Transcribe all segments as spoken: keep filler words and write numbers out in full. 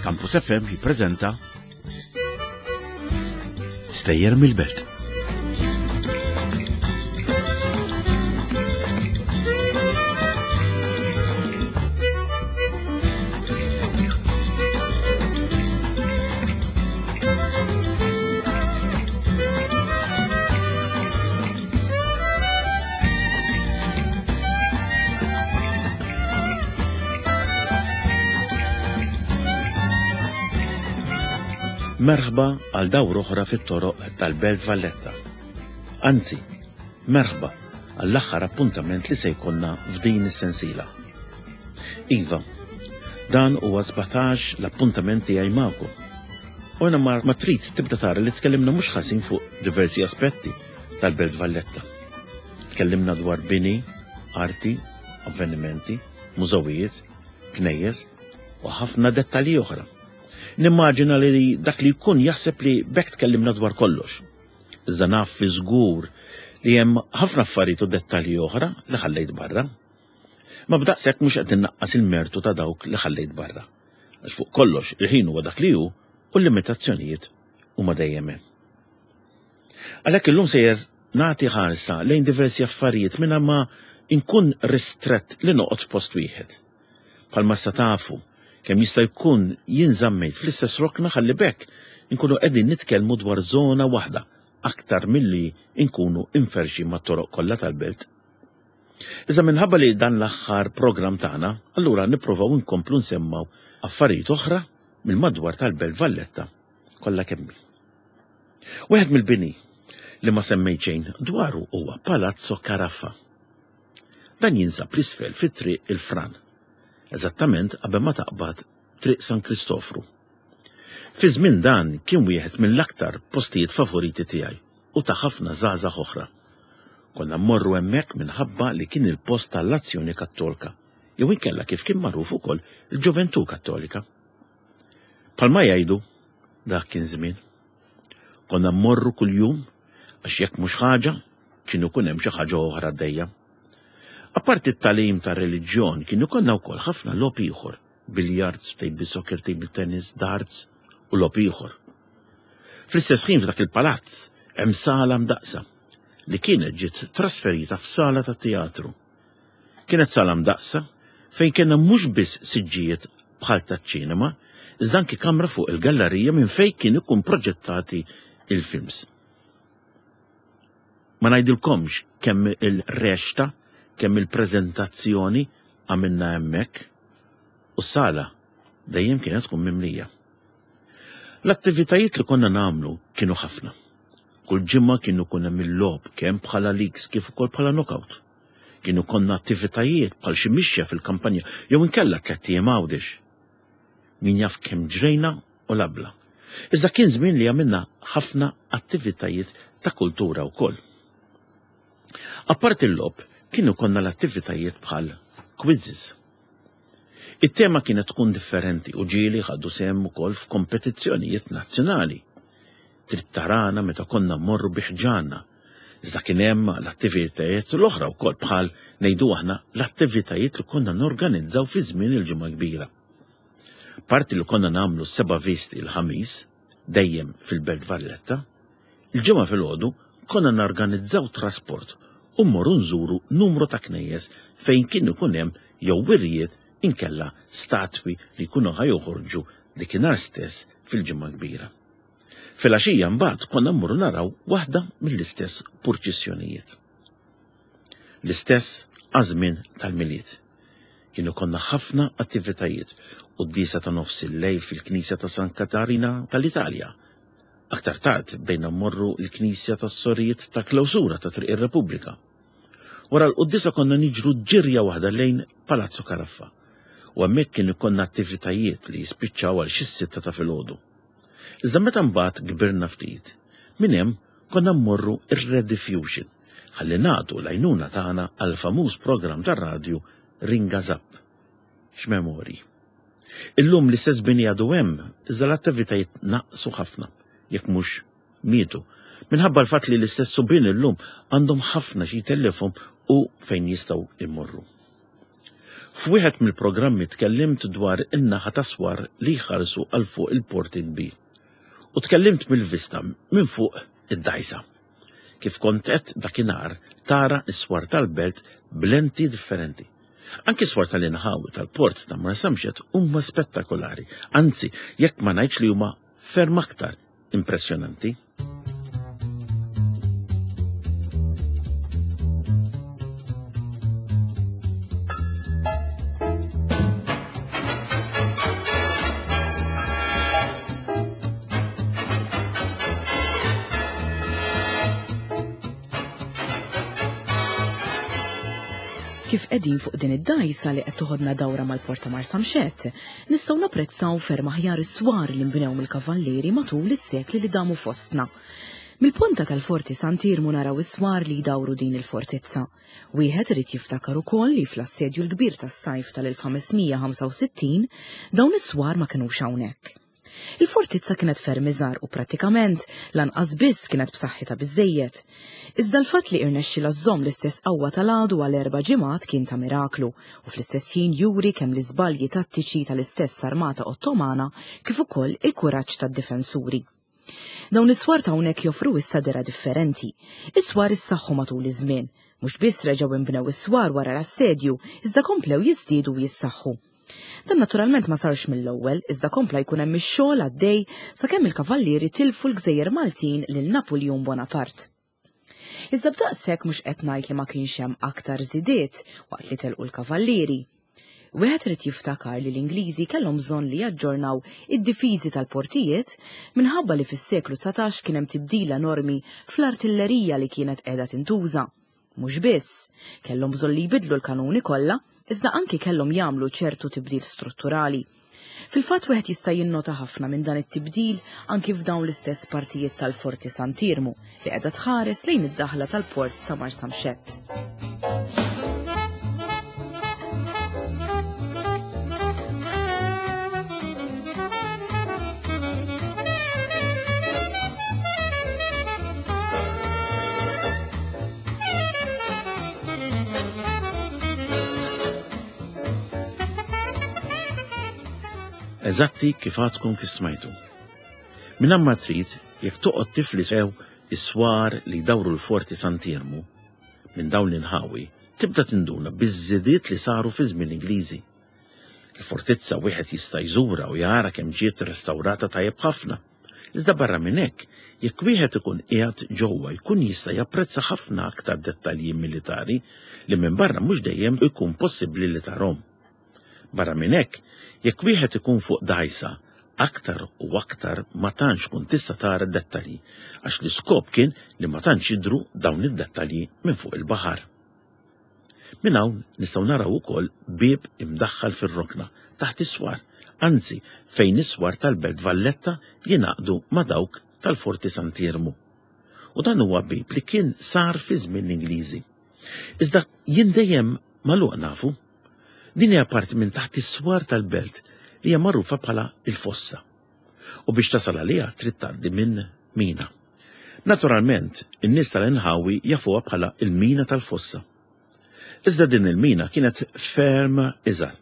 Campus F M jippreżenta Stejjer mill-Belt. Merħba għal dawra oħra fit-toroq tal-Belt Valletta. Anzi, merħba għall-aħħar appuntament li se jkollna f'din is-sensiela. Iva, dan huwa sbatax l-appuntament tiegħi magħkom. U jiena ma trid tibda tara li tkellimna mhux ħażin fuq diversi aspetti tal-Belt Valletta. Tkellimna dwar bini, arti, avvenimenti, mużewijiet, knejjes u ħafna dettalji oħra. Nimmaġina li dak li jkun jaħseb li b'hekk tkellimna dwar kollox. Iżda naf fi żgur li hemm ħafna affarijiet u dettalji oħra li ħallejt barra. Ma b'daqshekk mhux qed innaqqas il-mertu ta' dawk li ħallejt barra. Għax fuq kollox il-ħin huwa dak li hu u l-limitazzjonijiet huma dejjem hemm. Għalhekk illum sejjer nagħti ħarsa lejn diversi affarijiet mingħajr ma nkun ristrett li noqgħod f'post wieħed. Bħalma sa tafu, kemm jista' jkun jien żammejt fl-istess rokna ħalli b'hekk inkunu qegħdin nitkellmu dwar żona waħda aktar milli nkunu inferxi mat-toroq kollha tal-belt. Iżda minħabba li dan l-aħħar programm tagħna, allura nippruvaw inkomplu nsemmaw affarijiet oħra mill-madwar tal-Belt Valletta kollha kemm. Wieħed mill-bini li ma semmejt xejn dwaru huwa Palazzo Carafa. Dan jinsab l-isfel fit-triq il-Fran, eżattament qabel ma taqbad Triq San Kristofru. Fi żmien dan kien wieħed mill-aktar postijiet favoriti tiegħi u ta' ħafna żgħażagħ oħra. Konna mmorru hemmhekk minħabba li kien il-post tal-Azzjoni Kattolika, jew inkella kif kien magħruf ukoll il-Ġoventù Kattolika. Palma jgħidu, dak kien żmien. Konna mmorru kuljum għax jekk mhux ħaġa, kien ikun hemm xi ħaġa oħra għaddejja. Apparti t-tagħlim ta' reliġjon kien ikollna wkoll ħafna logħob ieħor, billiards, table soccer, table tennis, darts u logħob ieħor. Fl-istess ħin f'dak il-palazz hemm sala mdaqsa li kienet ġiet trasferita f'sala ta' teatru. Kienet sala mdaqsa fejn kellna mhux biss siġġijiet bħal taċ-ċinema, iżda anki kamra fuq il-gallerija minn fejn kien ikun proġettati il-films. Ma ngħidilkomx kemm il-rexta, kemm il-preżentazzjoni għamilna hemmhekk u s-sala dejjem kienet tkun mimlija. L-attivitajiet li konna nagħmlu kienu ħafna. Kull ġimgħa kienu kun hemm il-logħob kemm bħala leagues kif ukoll bħala knockout. Kienu konna attivitajiet bħal xi mixja fil-kampanja jew inkella tlett ijiem Għawdex. Min jaf kemm ġrejna u labla. Iżda kien żmien li għamilna ħafna attivitajiet ta' kultura wkoll. Apparti l-logħob, kienu konna l-attivitajiet bħal quizzes. It-tema kienet tkun differenti u ġieli ħadu sehem ukoll f'kompetizzjonijiet nazzjonali. Trid tarana meta konna mmorru bi ħġarna. Iżda kien hemm l-attivitajiet l-oħra wkoll bħal ngħidu aħna l-attivitajiet li konna norganizzaw fi żmien il-Ġimgħa Kbira. Parti li konna nagħmlu seba' visti l-Ħamis, dejjem fil-Belt Valletta, il-ġimgħa filgħodu konna norganizzaw trasport u mmorru nżuru numru ta' knejjes fejn kien ikun hemm jew wirjiet inkella statwi li jkunu ħajoħorġu dikinhar stess fil-Ġimgħa Kbira. Filgħaxija mbagħad konna mmorru naraw waħda mill-istess purċissjonijiet. L-istess għaż-żmien tal-Milied. Kienu konna ħafna attivitajiet u d-disa ta' nofs il-lejl fil-Knisja ta' San Katarina tal-Italja. Aktar tard bdejna mmorru l-Knisja tas-Sorijiet ta' Klawsura ta' Triq ir-Repubblika. Wara l-quddiesa konna niġru ġirja waħda lejn Palazzo Caraffa u hemmhekk kien ikollna attivitajiet li jispiċċaw għal xi sitta ta' filgħodu. Iżda meta mbagħad kbirna ftit, minn hemm konna mmorru ir-Rediffusion ħalli nagħtu l-għajnuna tagħna għal famuż programm tar-radju Ringa Zapp. X'memorji. Illum l-istess bini għadu hemm, iżda l-attivitajiet naqsu ħafna, jekk mhux mietu, minħabba l-fatt li l-istess subien illum għandhom ħafna xi jtellifhom u fejn jistgħu immorru. F'wieħed mill-programmi tkellimt dwar in-naħa ta' swar li jħarsu għal fuq il-Port il-Kbir. U tkellimt mill-vista minn fuq id-dgħajsa. Kif kont qed dakinhar tara s-swar tal-belt b'lenti differenti. Anki swar tal-inħawi tal-port ta' Marsamxett huma spettakolari, anzi jekk ma ngħidx li huma ferm aktar impressjonanti. Kif qegħdin fuq din id-dgħajsa li qed toħodna dawra mal-Port ta' Marsamxett, nistgħu napprezzaw ferm aħjar is-swar li nbnew mill-kavallieri matul is-sekli li damu fostna. Mill-ponta tal-Forti Sant'Iermu naraw is-swar li jdawru din il-fortizza. Wieħed irid jiftakar ukoll li fl-assedju l-kbir tas-sajf tal-elf ħames mija ħamsa u sittin dawn is-swar ma kinux hawnhekk. Il-fortizza kienet ferm iżgħar u prattikament lanqas biss kienet b'saħħitha biżejjed. Iżda l-fatt li irnexxilha żżomm l-istess qawwa tal-għadu għal erba' ġimgħat kien ta' miraklu u fl-istess ħin juri kemm l-iżbalji tattiċi tal-istess armata Ottomana kif ukoll il-kuraġġ tad-difensuri. Dawn is-swar ta' hawnhekk joffru issa dera differenti. Is-swar issaħħu matul iż-żmien, mhux biss reġgħu inbnew is-swar wara l-assedju, iżda komplew jiżdiedu u jissaħħu. Dan naturalment ma sarx mill-ewwel, iżda kompla jkun hemm ix-xogħol għaddej sakemm il-kavallieri tilfu l-Gżejjer Maltin lil Napoleon Bonaparte. Iżda b'daqshekk mhux qed ngħid li ma kienx hemm aktar żidiet waqt li telqu l-kavallieri. Wieħed irid jiftakar li l-Ingliżi kellhom bżonn li jaġġornaw id-difiżi tal-portijiet minħabba li fis-seklu dsatax kien hemm tibdil enormi fl-artillerija li kienet qiegħda tintuża. Mhux biss, kellhom bżonn li jbidlu l-kanuni kollha, iżda anki kellhom jagħmlu ċertu tibdil strutturali. Fil-fatt wieħed jista' jinnota ħafna minn dan it-tibdil anki f'dawn l-istess partijiet tal-Forti Sant'Iermu li qiegħda tħares lejn id-daħla tal-port ta' Marsamxett. Eżatti kif għadkom kif smajtu. Minn ma trid, jekk toqgħod tifli sew is-swar li jdawru l-Forti Sant'Iermu, minn dawn l-inħawi, tibda tinduna biż-żidiet li saru fi żmien Ingliżi. Il-fortizza wieħed jista' jżura u jara kemm ġiet restawrata tajjeb ħafna. Iżda barra minn hekk, jekk wieħed ikun qiegħed ġewwa jkun jista' japprezza ħafna aktar dettalji militari li minn barra mhux dejjem ikun possibbli li tarhom. Barra minn hekk, jekk wieħed ikun fuq dgħajsa, aktar u aktar ma tantx tkun tista' tara dettalji, għax l-iskop kien li ma tantx jidhru dawn id-dettalji minn fuq il-baħar. Minn hawn nistgħu naraw ukoll bieb imdaħħal fir-rokna taħt is-swar, anzi fejn is-swar tal-Belt Valletta jingħaqdu ma' dawk tal-Forti Sant'Iermu. U dan huwa bieb li kien sar fi żmien l-Ingliżi. Iżda jien dejjem magħluq nafu. Din hija parti minn taħt is-swar tal-belt li hija magħrufa bħala il-fossa. U biex tasal għaliha trid tgħaddi minn mina. Naturalment, in-nies tal-inħawi jafuha bħala il-mina tal-fossa. Iżda din il-mina kienet ferm iżgħar.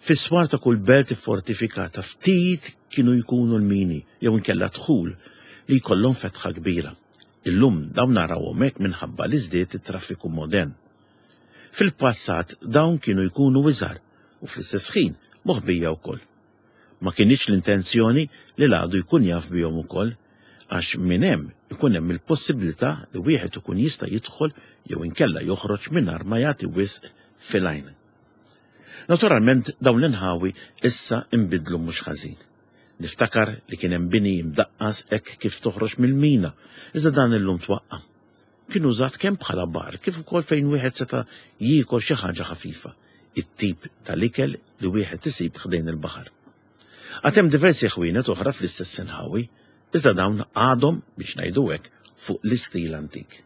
Fis-swar ta' kull belt iffortifikata ftit kienu jkunu l-mini jew inkella dħul li jkollhom fetħa kbira. Illum dawn narawhom hekk minħabba li żdied it-traffiku modern. Fil-passat dawn kienu jkunu iżgħar u fl-istess ħin moħbija wkoll. Ma kinitx l-intenzjoni li l-għadu jkun jaf bihom ukoll, għax minn hemm ikun hemm il-possibilità li wieħed ikun jista' jidħol jew inkella joħroġ mingħajr ma jagħti wisq fil-għajn. Naturalment dawn l-inħawi issa inbidlu mhux ħażin. Niftakar li kien hemm bini imdaqqas hekk kif toħroġ mill-mina, iżda dan illum twaqqa'. Kien użat kemm bħala bar kif ukoll fejn wieħed seta' jiekol xi ħaġa ħafifa, it-tip tal-ikel li wieħed isib ħdejn il-baħar. Għad hemm diversi ħwienet oħra fl-istess inħawi, iżda dawn għadhom biex ngħidu hekk fuq l-istil antik.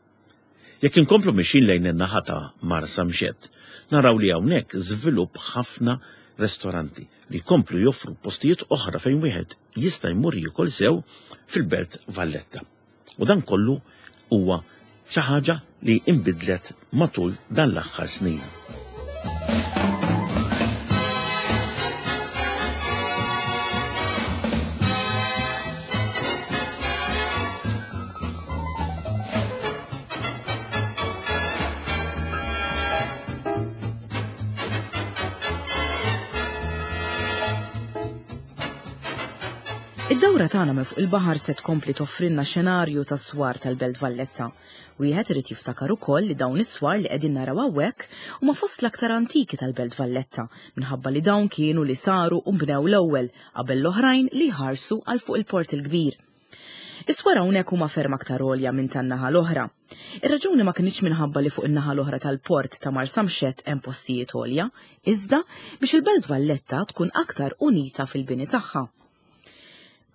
Jekk inkomplu mixin lejn in-naħa ta' Marsamxett, naraw li hawnhekk żvilupp ħafna ristoranti li jkomplu joffru postijiet oħra fejn wieħed jista' jmur jiekol sew fil-Belt Valletta. U dan kollu huwa xi ħaġa li inbidlet matul dan l-aħħar snin. Id-dawra tagħna minn fuq il-baħar se tkompli toffrilna xenarju ta' swar tal-Belt Valletta. Wieħed irid jiftakar ukoll li dawn is-swar li qegħdin naraw hawnhekk huma fost l-aktar antiki tal-Belt Valletta minħabba li dawn kienu li saru u nbnew l-ewwel qabel l-oħrajn li jħarsu għal fuq il-Port il-Kbir. Is-swar hawnhekk huma ferm aktar għolja minn tan-naħa l-oħra. Ir-raġuni ma kinitx minħabba li fuq in-naħa l-oħra tal-port ta' Marsamxett hemm postijiet għolja, iżda biex il-Belt Valletta tkun aktar unita fil-bini tagħha.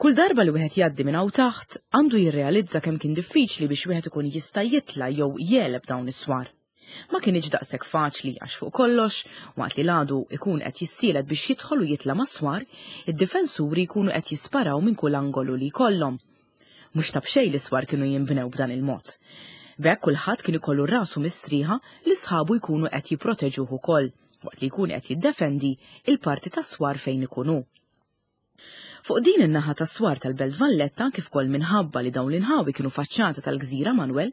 Kull darba li wieħed jgħaddi minn hawn taħt, għandu jirrealizza kemm kien diffiċli biex wieħed ikun jista' jitla' jew jegħleb dawn is-swar. Ma kinitx daqshekk faċli għax fuq kollox, waqt li l-għadu ikun qed jissielet biex jidħol u jitla' mas-swar, id-difensuri jkunu qed jisparaw minn kull angolu li jkollhom. Mhux ta' b'xejn li swar kienu jinbnew b'dan il-mod. B'hekk kulħadd kien ikollu rasu mistrieħa li sħabu jkunu qed jipproteġuh ukoll, waqt li jkun qed jiddefendi il-parti tas-swar fejn ikun hu. Fuq din in-naħa tas-swar tal-Belt Valletta, kif ukoll minħabba li dawn l-inħawi kienu faċċata tal-Gżira Manuel,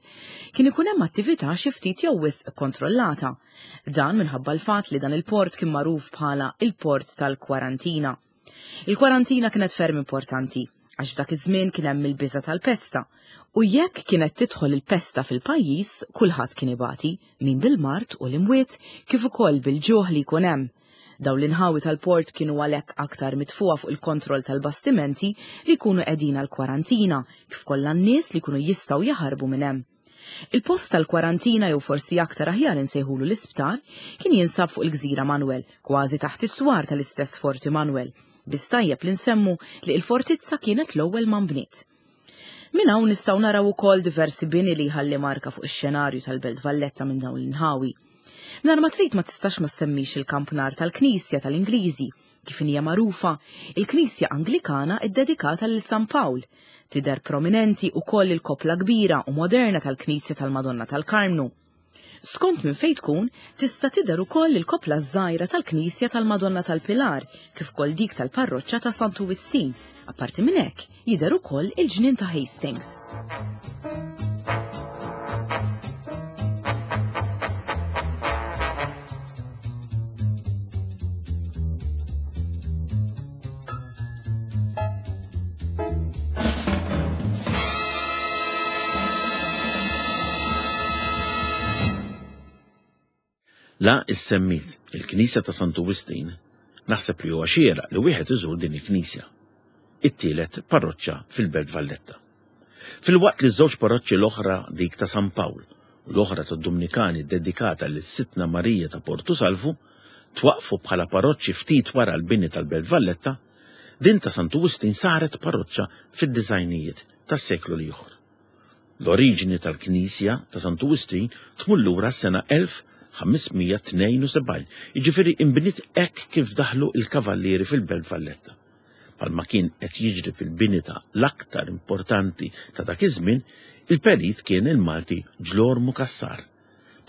kien ikun hemm attività xi ftit jew wisq kontrollata. Dan minħabba l-fatt li dan il-port kien magħruf bħala il-port tal-kwarantina. Il-kwarantina kienet ferm importanti, għax f'dak iż-żmien kien hemm il-biża' tal-pesta. U jekk kienet tidħol il-pesta fil-pajjiż, kulħadd kien ibati, min bil-mard u l-imwiet, kif ukoll bil-ġuħ li jkun hemm. Dawn l-inħawi tal-port kienu għalhekk aktar mitfuqa fuq il-kontroll tal-bastimenti li jkunu qegħdin għall-kwarantina, kif kollha n-nies li jkunu jistgħu jaħarbu minn hemm. Il-post tal-kwarantina jew forsi aktar aħjar insejħulu l-isptar kien jinsab fuq il-Gżira Manuel, kważi taħt is-swar tal-istess Forti Manuel. Biss tajjeb li nsemmu li l-fortizza kienet l-ewwel ma nbniet. Minn hawn nistgħu naraw ukoll diversi bini li jħalli marka fuq ix-xenarju tal-Belt Valletta minn dawn l-inħawi. Mingħajr ma trid ma tistax ma semmix il-kampnar tal-Knisja tal-Ingliżi, kif hija magħrufa, il-Knisja Anglikana ddedikata lil San Pawl. Tidher prominenti wkoll il-koppla kbira u moderna tal-Knisja tal-Madonna tal-Karmnu. Skont minn fejn tkun, tista' tidher ukoll il-koppla żgħira tal-Knisja tal-Madonna tal-Pilar, kif ukoll dik tal-Parroċċa ta' Santu Wistin. Apparti minn hekk, jidher ukoll il-ġnien ta' Hastings. La issemmit il-Knisja ta' Santu Wistin, naħseb li huwa xieraq li wieħed iżur din il-Knisja, it-tielet parroċċa fil-Belt Valletta. Filwaqt li ż-żewġ parroċċi l-oħra, dik ta' San Pawl u l-oħra tad-Dumnikani dedikata lil Sitna Marija ta' Portu Salvu, twaqfu bħala parroċċi ftit wara l-bini tal-Belt Valletta, din ta' Santu Wistin saret parroċċa fid-disgħinijiet tas-seklu l-ieħor. L-oriġini tal-Knisja ta' Santu Wistin tmur lura s-sena elf ħamesmija tnejn u sebgħin, jiġifieri inbniet hekk kif daħlu il-kavallieri fil-Belt Valletta. Palma kien qed jiġri fil-bini ta' l-aktar importanti ta' dak iż-żmien, il-perit kien il-Malti Ġlormu Cassar.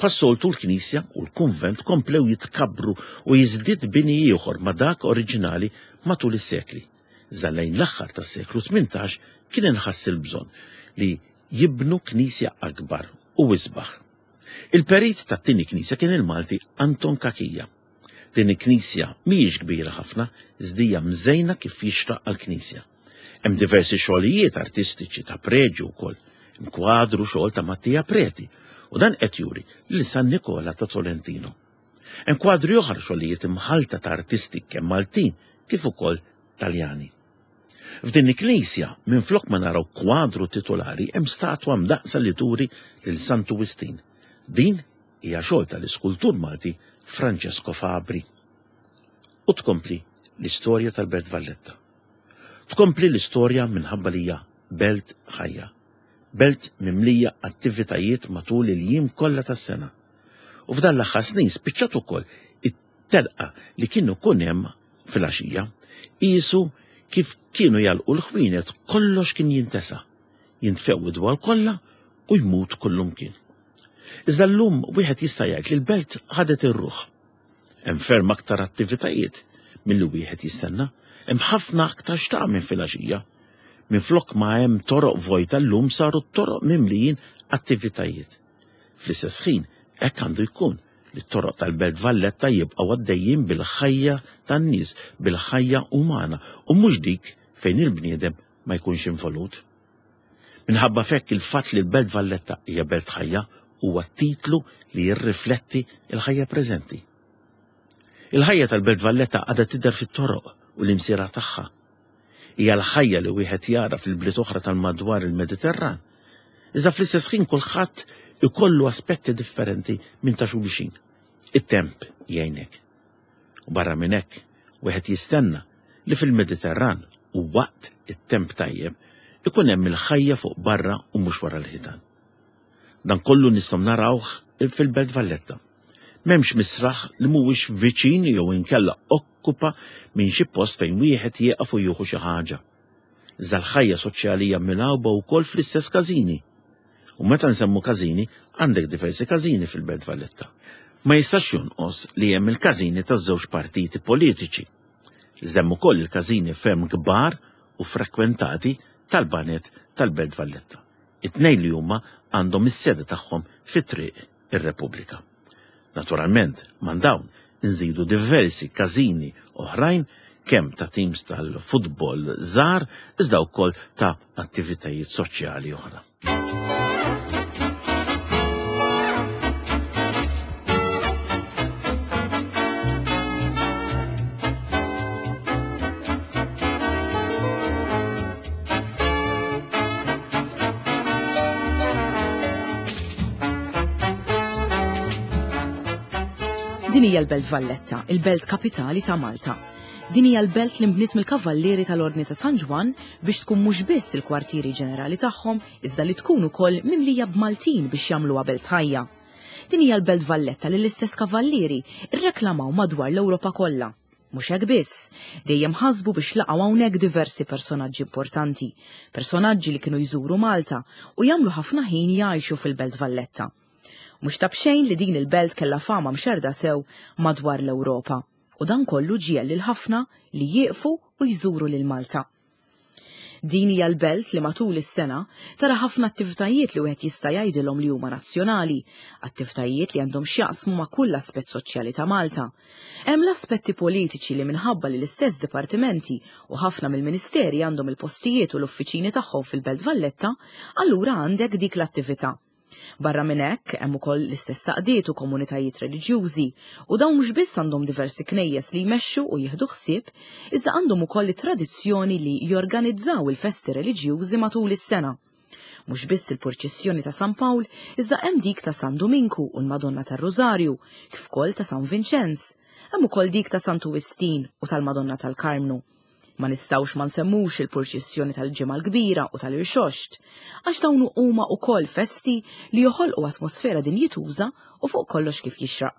Bħas-soltu l-Knisja u l-kunvent komplew jitkabbru u jiżdied bini ieħor ma' dak oriġinali matul is-sekli. Iżda lejn l-aħħar tas-seklu tmintax kien inħass il-bżonn li jibnu knisja akbar u isbaħ. Il-perit tat-tieni knisja kien il-Malti Anton Cachia. Din il-knisja mhijiex kbira ħafna, iżda hija mżejna kif jixraq għall-knisja. Hemm diversi xogħlijiet artistiċi ta' preġju wkoll, hemm kwadru xogħol ta' Mattia Preti, u dan qed juri lil San Nikola ta' Tolentino. Hemm kwadri oħra xogħlijiet imħalta ta' artisti kemm Maltin kif ukoll Taljani. F'din il-knisja, minflok ma naraw kwadru titolari, hemm statwa mdaqsa li turi lil Santu Wistin. Din hija xogħol tal-iskultur Malti Francesco Fabri. U tkompli l-istorja tal-Belt Valletta. Tkompli l-istorja minħabba li hija belt ħajja, belt mimlija attivitajiet matul il-jiem kollha tas-sena. U f'dan l-aħħar snin spiċċat ukoll it-telqa li kienu kun hemm fil-għaxija, qisu kif kienu jalqu l-ħwienet kollox kien jintesa, jintfew id-dwal kollha u jmut kullumkien. Iżda llum wieħed jista' jgħid li l-belt ħadet ir-ruħ. Hemm ferm aktar attivitajiet milli wieħed jistenna, hemm ħafna aktar x'tagħmel minn filgħaxija. Minflok ma hemm toroq vojta llum saru t-toroq mimlijin attivitajiet. Fl-istess ħin hekk għandu jkun li t-toroq tal-Belt Valletta jibqgħu għaddejjin bil-ħajja tan-nies, bil-ħajja umana u mhux dik fejn il-bniedem ma jkunx involut. Minħabba f'hekk il-fatt li l-Belt Valletta hija belt ħajja huwa titlu li jirrifletti l-ħajja preżenti. Il-ħajja tal-Belt Valletta għadha tidher fit-toroq u l-imsira tagħha. Hija l-ħajja li wieħed jara fil-bliet oħra tal-madwar il-Mediterran. Iżda fl-istess ħin kulħadd ikollu aspetti differenti minn ta' xulxin. It-temp jgħinek. U barra minn hekk, wieħed jistenna li fil-Mediterran u waqt it-temp tajjeb ikun hemm il-ħajja fuq barra u mhux wara l-ħitan. Dan kollu nistgħu narawh fil-Belt Valletta. M'hemmx misraħ li mhuwiex viċin jew inkella okkupa minn xi post fejn wieħed jieqaf u jieħu xi ħaġa. Iżda l-ħajja soċjali hija milgħuba wkoll fl-istess każini. U meta nsemmu każini, għandek diversi każini fil-Belt Valletta. Ma jistax jonqos li hemm il-każini taż-żewġ partiti politiċi. Iżda hemm ukoll il-każini ferm kbar u frekwentati tal-banet tal-Belt Valletta. It-tnejn li huma għandhom is-sede tagħhom fi Triq ir-Repubblika. Naturalment, man dawn nżidu diversi każini oħrajn kemm ta' teams tal-futbol żgħar iżda wkoll ta' attivitajiet soċjali oħra. Din hija l-Belt Valletta, il-belt kapitali ta' Malta. Din hija l-belt li nbniet mill-Kavallieri tal-Ordni ta' San Ġwann biex tkun mhux biss il-kwartieri ġenerali tagħhom, iżda li tkun ukoll mimlija b'Maltin biex jagħmluha belt ħajja. Din hija l-Belt Valletta li l-istess Kavallieri rreklamaw madwar l-Ewropa kollha. Mhux hekk biss, dejjem ħasbu biex laqgħu hawnhekk diversi personaġġi importanti, personaġġi li kienu jżuru Malta u jagħmlu ħafna ħin jgħixu fil-Belt Valletta. Mhux ta' b'xejn li din il-belt kellha fama mxerda sew madwar l-Ewropa u dan kollu ġiegħel lil ħafna li jieqfu u jżuru lil Malta. Din hija l-belt li matul is-sena tara ħafna attivitajiet li wieħed jista' jgħidilhom li huma nazzjonali, attivitajiet li għandhom x'jaqsmu ma' kull aspett soċjali ta' Malta. Hemm l-aspetti politiċi li minħabba li l-istess dipartimenti u ħafna mill-ministeri għandhom il-postijiet u l-uffiċini tagħhom fil-Belt Valletta, allura għandek dik l-attività. Barra minn hekk hemm ukoll l-istess saqdiet u komunitajiet reliġjużi u dawn mhux biss għandhom diversi knejjes li jmexxu u jieħdu ħsieb, iżda għandhom ukoll it-tradizzjoni li jorganizzaw il-festi reliġjużi matul is-sena. Mhux biss il-purċissjoni ta' San Pawl, iżda hemm dik ta' San Duminku u l-Madonna tar-Rużarju, kif ukoll ta' San Vinċenz. Hemm ukoll dik ta' Santu Wistin u tal-Madonna tal-Karmnu. Ma nistgħux ma nsemmux il-purċissjoni tal-Ġimgħa l-Kbira u tal-Irxoxt, għax dawn huma wkoll festi li joħolqu atmosfera dinjituża u fuq kollox kif jixraq.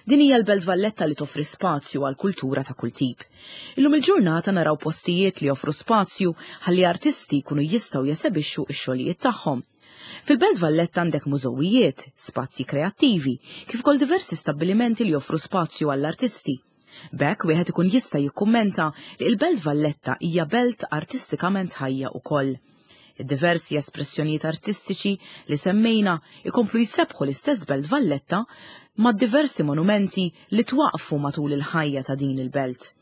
Din hija l-Belt Valletta li toffri spazju għal kultura ta' kull tip. Illum il-ġurnata naraw postijiet li joffru spazju ħalli artisti jkunu jistgħu jesebixxu x-xogħlijiet tagħhom. Fil-Belt Valletta għandek mużewijiet, spazji kreattivi, kif ukoll diversi stabbilimenti li joffru spazju għall-artisti. B'hekk wieħed ikun jista' jikkummenta li l-Belt Valletta hija belt artistikament ħajja wkoll. Id-diversi espressjonijiet artistiċi li semmejna ikomplu jsebħu l-istess Belt Valletta ma' diversi monumenti li twaqfu matul il-ħajja ta' din il-belt.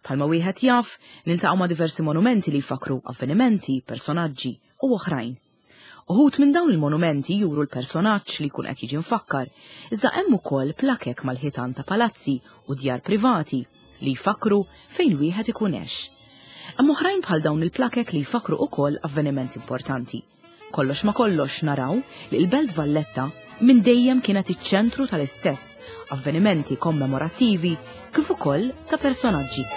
Bħalma wieħed jaf, niltaqgħu ma' diversi monumenti li jfakru avvenimenti, personaġġi u oħrajn. Uħud minn dawn il-monumenti juru l-personaġġ li jkun qed jiġi mfakkar, iżda hemm ukoll plakek mal-ħitan ta' palazzi u djar privati li jfakru fejn wieħed ikun għex. Hemm oħrajn bħal dawn il-plakek li jfakru ukoll avvenimenti importanti. Kollox ma kollox naraw li l-Belt Valletta minn dejjem kienet iċ-ċentru tal-istess avvenimenti kommemorattivi kif ukoll ta' personaġġi.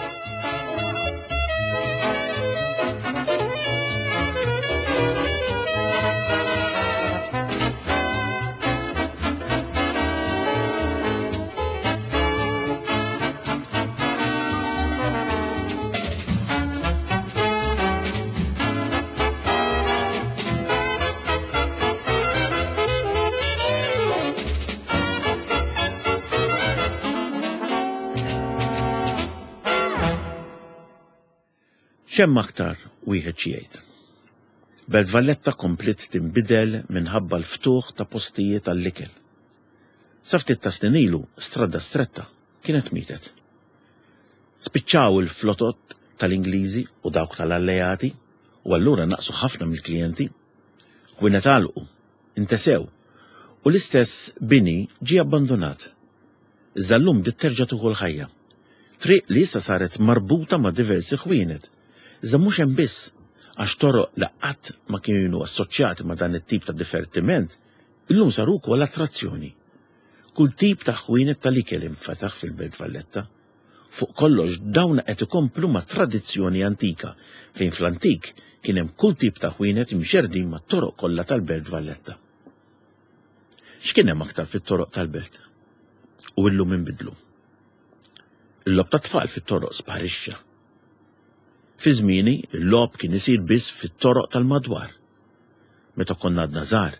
X'hemm aktar wieħed xi jgħid? Belt Valletta kompliet tinbidel minħabba l-ftuħ ta' postijiet għall-ikel. Sa ftit ta' snin ilu, Strada Stretta kienet mietet. Spiċċaw il-flotot tal-Ingliżi u dawk tal-Alleati, u allura naqsu ħafna mill-klijenti. Ħwienet għalqu, intesew, u l-istess bini ġie abbandunat. Iżda llum bdiet terġa' tieħu l-ħajja. Triq li issa saret marbuta ma' diversi ħwienet. Iżda mhux hemm biss, għax toroq li qatt ma kienu assoċjati ma' dan it-tip ta' divertiment, illum saru wkoll attrazzjoni. Kull tip ta' ħwienet tal-ikel infetaħ fil-Belt Valletta. Fuq kollox dawn qed ikomplu ma' tradizzjoni antika, fejn fl-antik kien hemm kull tip ta' ħwienet imxerdin mat-toroq kollha tal-Belt Valletta. X'kien hemm aktar fit-toroq tal-belt? U illum inbidlu. Il-logħob tat-tfal fit-toroq sparixxa. Fi żmieni, il-logħob kien isir biss fit-toroq tal-madwar. Meta konna għadna żgħar,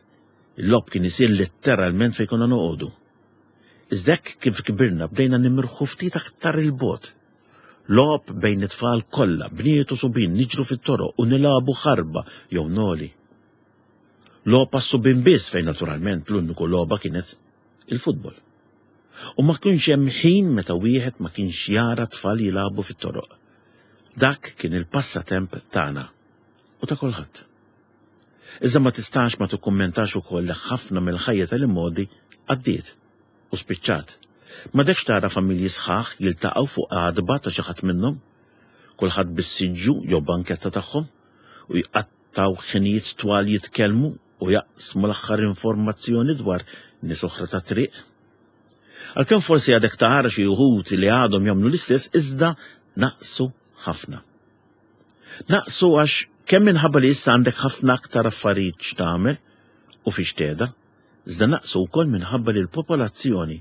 il-logħob kien isir letteralment fejn konna noqogħdu. Iżda hekk kif kbirna bdejna nimirħu ftit aktar 'il bogħod. Logħob bejn it-tfal kollha, bniet u subien niġru fit-toroq u nilagħbu ħarba jew noli. Logħob għas-subien biss fejn naturalment l-uniku logħba kienet il-futbol. U ma kienx hemm ħin meta wieħed ma kienx jara tfal jilagħbu fit-toroq. Dak kien il-passatemp tagħna u ta' kulħadd. Iżda ma tistax ma tikkummentax ukoll li ħafna mill-ħajja tal-immodi għaddiet u spiċċat. M'għadekx tara familji sħaħ jiltaqgħu fuq għadba ta' xi ħadd minnhom, kulħadd bis-siġġu jew banketta tagħhom u jqattgħu ħinijiet twal jitkellmu u jaqsmu l-aħħar informazzjoni dwar nies oħra ta' triq. Għalkemm forsi għadek tara xi wħud li għadhom jagħmlu l-istess, iżda naqsu ħafna. Naqsu għax kemm minħabba li issa għandek ħafna aktar affarijiet x'tagħmel u fiex tgħeda, iżda naqsu wkoll minħabba li l-popolazzjoni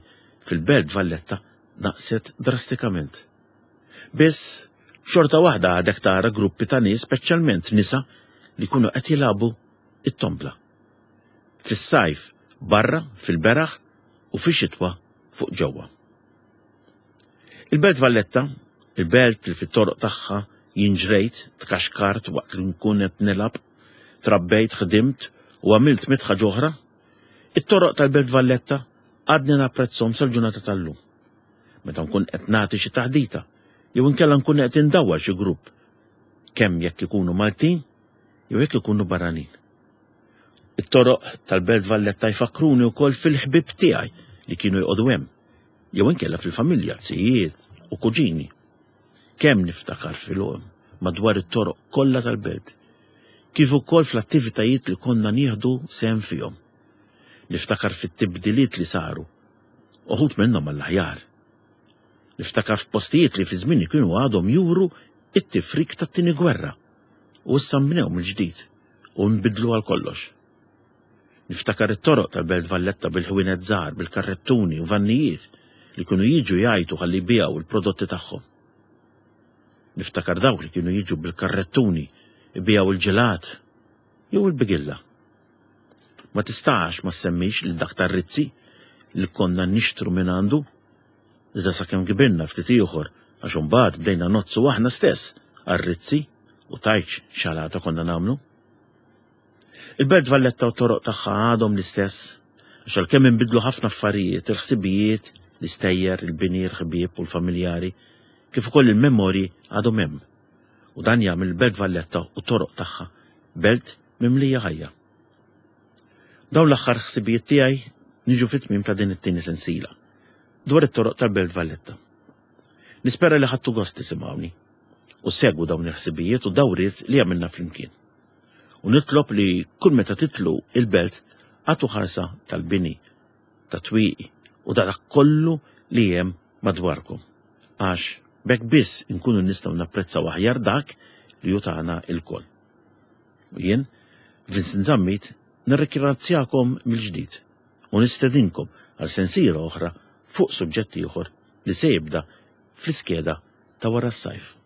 fil-Belt Valletta naqset drastikament. Biss xorta waħda għadek tara gruppi ta' nies, speċjalment nisa, li jkunu qed jilagħbu it-tombla. Fis-sajf barra fil-beraħ u fix-xitwa fuq ġewwa. Il-Belt Valletta, il-belt li fit-toroq tagħha jien ġrejt, tkaxkart waqt li nkun qed nilgħab, trabbejt, ħdimt u għamilt mitt ħaġa oħra, it-toroq tal-Belt Valletta għadni napprezzhom sal-ġurnata tal-lum. Meta nkun qed nagħti xi taħdita, jew inkella nkun qed indawwar xi grupp, kemm jekk ikunu Maltin jew jekk ikunu barranin. It-toroq tal-Belt Valletta jfakkruni wkoll fil-ħbieb tiegħi li kienu jqogħdu hemm, jew inkella fil-familja, zijiet u kuġini. Kemm niftakar fil-għom madwar it-toroq kollha tal-belt, kif ukoll fl-attivitajiet li konna nieħdu sehem fihom. Niftakar fit-tibdiliet li saru, uħud minnhom għall-aħjar. Niftakar f'postijiet li fi żmieni kienu għadhom juru it-tifrik tat-tieni gwerra u issa nbnew mill-ġdid u nbidlu għal kollox. Niftakar it-toroq tal-Belt Valletta bil-ħwienet żgħar, bil-karrettuni u vannijiet li kienu jiġu jgħajtu ħalli jbigħu il-prodotti tagħhom. Niftakar dawk li kienu jiġu bil-karrettuni jbigħu il-ġelat jew il-bigilla. Ma tistax ma semmix lil dak tar-Rizzi li konna nixtru minn għandu, iżda sakemm kbirna ftit ieħor għax imbagħad bdejna nozzu aħna stess għar-Rizzi u tajċ xalata konna nagħmlu. Il-Belt Valletta u t-toroq tagħha għadhom l-istess, għax għalkemm inbidlu ħafna affarijiet, il-ħsibijiet, l-istejjer, il-bini, il-ħbieb u l-familjari, kif ukoll il-memorji għadhom hemm. U dan jagħmel il-Belt Valletta u t-toroq tagħha belt mimlija ħajja. Dawn l-aħħar ħsibijiet tiegħi niġu fit-tmiem ta' din it-tieni sensiela dwar it-toroq tal-Belt Valletta. Nispera li ħadtu gost tisimgħuni u segwu dawn il-ħsibijiet u dawriet li għamilna flimkien. U nitlob li kull meta titlu il-belt għatu ħarsa tal-bini, ta' twieqi u ta' dak kollu li hemm madwarkom. Għax b'hekk biss inkunu nistgħu napprezzaw aħjar dak li hu tagħna lkoll. U jien, Vincent Zammit, nirringrazzjakom mill-ġdid u nistedinkom għal sensiela oħra fuq suġġett ieħor li se jibda fl-iskeda ta' wara s-sajf.